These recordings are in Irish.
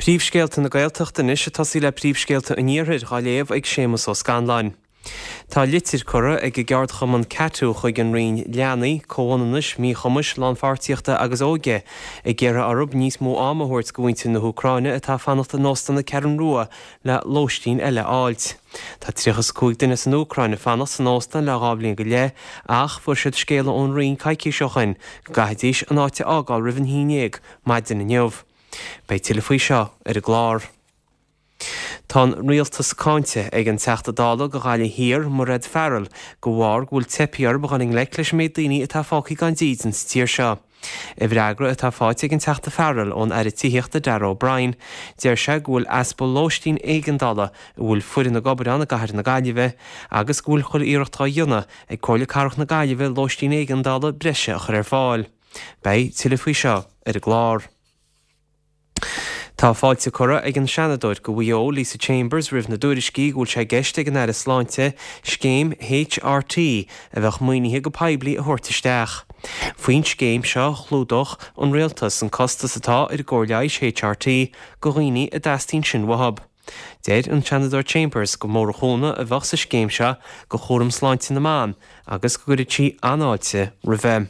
Príomhscéalta na Gaeltachta anois ag tosaí le príomhscéalta an Iarthair dhá léamh ag Séamus Ó Scanláin. Tá litir curtha ag an gceardchumann CATU chuig an Roinn Leanaí, Comhionannais, Míchumais, Lánpháirtíochta agus Óige ag iarraidh orthu níos mó ama a thabhairt go mhuintir na hÚcráine atá ag fanacht in Óstán na Ceathrún Rua le lóistín eile a fháilt. Tá 35 duine as an Úcráin ag fanacht san óstán le 2 bhliain go leith ach fuair siad scéala ón Roinn coicís ó shoin go gcaithfidís an áit a fhágáil roimh an 11 maidin inniu. Beidh tuilleadh faoi seo ar an gclár. Tá an Rialtas cáinte ag an Teachta Dála go Ghaillimh Thiar, Mairéad Farrell, de bharr go bhfuil teipthe orthu dhul i ngleic leis an méid daoine atá fágtha gan dídean sa tír seo. I bhfreagra atá faighte ag an Teachta Farrell ón Aire Tithíochta Darragh O'Brien, deir sé go bhfuil easpa lóistín éigeandála a bhfuil foireann ag obair ann i gcathair na Gaillimhe agus go bhfuil chuile iarracht á dhéanamh ag Comhairle Cathrach na Gaillimhe lóistín éigeandála breise a chur ar fáil. Beidh tuilleadh faoi seo ar an gclár. Tá fáilte curtha ag an Seanadóir go Mhaigh Eo, Lisa Chambers, roimh na dtuairiscí go bhfuil sé i gceist ag an Aire Sláinte scéim HRT a bheadh maoinithe go poiblí a thabhairt isteach. Faoin scéim seo chlúdódh an Rialtas an costas atá ar an gcóir leighis HRT go dhaoine a dteastaíonn sin uathu. Deir an Seanadóir Chambers gur mór an chúnamh a bheadh sa scéim seo go chúram sláinte na mban agus go gcuirfeadh sí an-fháilte roimhe.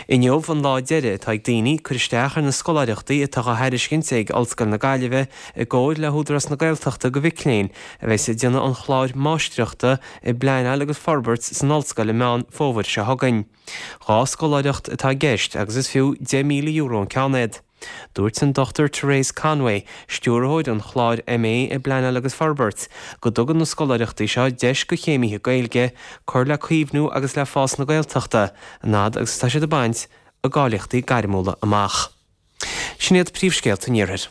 Inniu an lá deiridh atá ag daoine cur isteach ar na scoláireachtaí atá á thairiscint ag Ollscoil na Gaillimhe i gcomhair le hÚdarás na Gaeltachta go mhic léinn a bheas ag déanamh an chláir Máistreachta i bPleanáil agus Forbairt san Ollscoil i Meán Fómhair seo chugainn. 2 scoláireacht atá i gceist agus is fiú €10,000 an ceann iad. Dúirt an Dr Therese Conway, Stiúrthóir an chláir MA i bPleanáil agus Forbairt, go dtugann na scoláireachtaí seo deis go chéimithe Gaeilge cur le caomhnú agus le fás na Gaeltachta an fhad agus atá siad ag baint a gcáilíochtaí gairmiúla amach. Sin iad príomhscéalta an Iarthair.